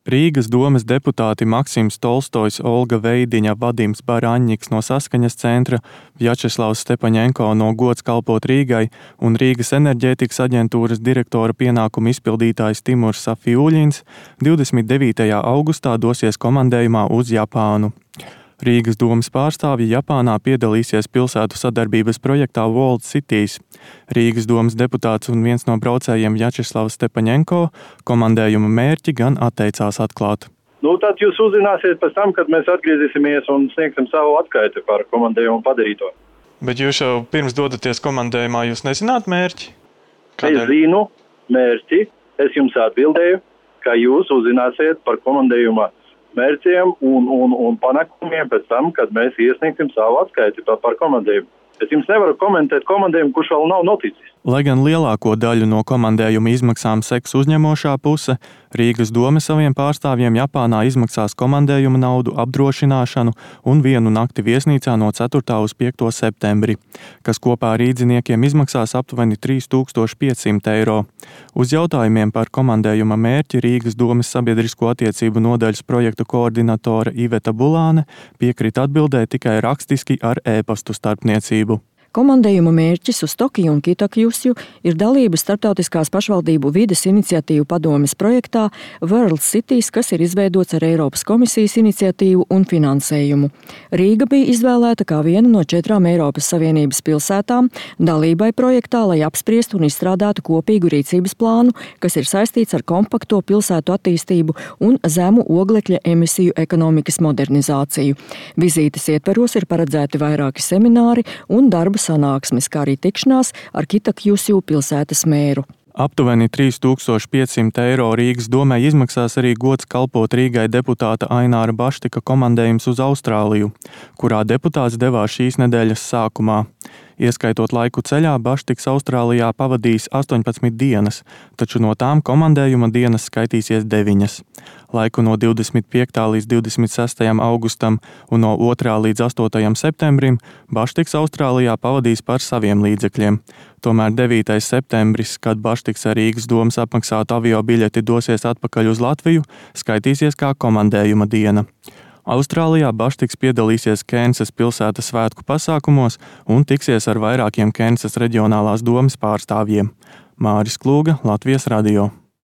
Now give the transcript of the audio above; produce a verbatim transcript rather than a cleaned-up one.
Rīgas domes deputāti Maksims Tolstojs, Olga Veidiņa, Vadims Baraņņiks no Saskaņas centra, Vjačeslavs Stepaņenko no Gods kalpot Rīgai un Rīgas enerģētikas aģentūras direktora pienākumu izpildītājs Timurs Safiuļins divdesmit devītajā augustā dosies komandējumā uz Japānu. Rīgas domes pārstāvji Japānā piedalīsies pilsētu sadarbības projektā World Cities. Rīgas domes deputāts un viens no braucējiem Vjačeslavs Stepaņenko komandējuma mērķi gan atteicās atklāt. Nu, tad jūs uzzināsiet pēc tam, kad mēs atgriezīsimies un sniegsim savu atskaiti par komandējumu padarīto. Bet jūs jau pirms dodaties komandējumā, jūs nezināt mērķi? Kādēļ? Es zinu mērķi, es jums atbildēju, ka jūs uzzināsiet par komandējuma mērķiem un, un, un panākumiem pēc tam, kad mēs iesniegsim savu atskaiti par komandējumu. Es jums nevaru komentēt komandējumu, kurš vēl nav noticis. Lai gan lielāko daļu no komandējuma izmaksām seks uzņemošā puse, Rīgas dome saviem pārstāvjiem Japānā izmaksās komandējuma naudu, apdrošināšanu un vienu nakti viesnīcā no ceturtā uz piekto septembri, kas kopā rīdziniekiem izmaksās aptuveni trīs tūkstoši piecsimt eiro. Uz jautājumiem par komandējuma mērķi Rīgas domes sabiedrisko attiecību nodaļas projektu koordinatore Iveta Bulāne piekrita atbildēt tikai rakstiski ar e-pastu starpniecību. Komandējuma mērķis uz Tokiju un Kitakjusju ir dalība starptautiskās pašvaldību vides iniciatīvu padomes projektā World Cities, kas ir izveidots ar Eiropas komisijas iniciatīvu un finansējumu. Rīga bija izvēlēta kā viena no četrām Eiropas Savienības pilsētām dalībai projektā, lai apspriestu un izstrādātu kopīgu rīcības plānu, kas ir saistīts ar kompakto pilsētu attīstību un zemu oglekļa emisiju ekonomikas modernizāciju. Vizītes ietveros ir paredzēti vairāki semināri un darba sanāksmes, kā arī tikšanās ar Kitakjusju pilsētas mēru. Aptuveni trīs tūkstoši piecsimt eiro Rīgas domē izmaksās arī Gods kalpot Rīgai deputāta Aināra Baštika komandējums uz Austrāliju, kurā deputāts devās šīs nedēļas sākumā. Ieskaitot laiku ceļā, Baštiks Austrālijā pavadījis astoņpadsmit dienas, taču no tām komandējuma dienas skaitīsies deviņas. Laiku no divdesmit piektā līdz divdesmit sestajam augustam un no otrā līdz astotajam septembrim Baštiks Austrālijā pavadīs par saviem līdzekļiem. Tomēr devītais septembris, kad Baštiks ar Rīgas domas apmaksātu avio biļeti dosies atpakaļ uz Latviju, skaitīsies kā komandējuma diena. Austrālijā Baštiks piedalīsies Kensas pilsētas svētku pasākumos un tiksies ar vairākiem Kensas reģionālās domes pārstāvjiem. Māris Klūga, Latvijas radio.